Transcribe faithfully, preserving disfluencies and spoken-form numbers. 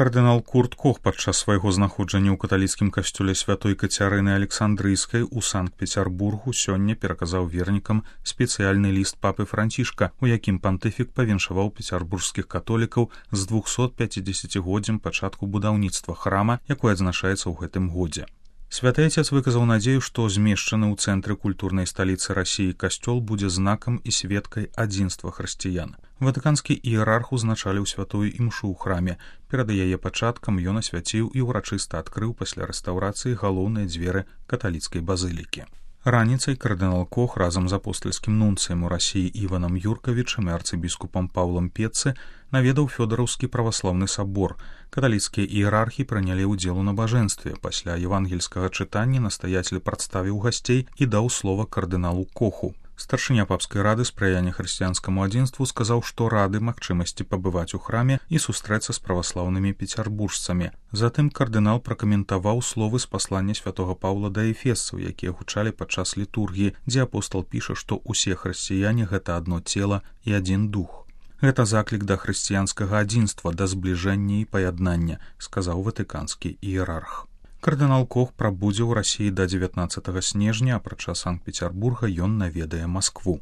Кардынал Курт Кох падчас свайго знаходжання ў каталіцкім касцёле святой Кацярыны Александрыйскай у Санкт-Пецярбургу сёння пераказаў вернікам спецыяльны ліст папы Францішка, у якім пантыфік павіншаваў пецярбургскіх католікаў з двухсот пяцідзесяцігоддзям пачатку будаўніцтва храма, якое адзначаецца ў гэтым годзе. Святы Отец выказаў надзею, што змешчаны ў цэнтры культурнай сталіцы Расіі касцёл будзе знакам і сведкай адзінства хрысціян. Ватыканскі іерарх узначаліў святую імшу ў храме. Перад яе пачаткам ён асвяціў і ўрачыста адкрыў пасля рэстаўрацыі галоўныя дзверы каталіцкай базылікі. Раніцай кардынал Кох разам з апостальскім нунцыем у Расіі Іванам Юркавічам і арцыбіскупам Паўлам Петцы наведаў Фёдараўскі праваслаўны сабор. Каталіцкія іерархі прынялі ўдзел у набажэнстве. Пасля евангельскага чытання настаяцель прадставіў гасцей і даў слова кардыналу Коху. Старшыня папскай рады спрыяння хрысціянскаму адзінству сказаў, што рады магчымасці пабываць у храме і сустрэцца з праваслаўнымі пецярбуржцамі. Затым кардынал пракаментаваў словы з паслання святога Паўла да эфесцаў, якія гучалі падчас літургіі, дзе апостал піша, што ўсе хрысціяне гэта адно цела і адзін дух. Гэта заклік да хрысціянскага адзінства, да збліжэння і паяднання, сказаў ватыканскі іерарх. Кардынал Кох прабудзе ў Расіі да дзевятнаццатага снежня, апрача Санкт-Пецярбурга ён наведае Маскву.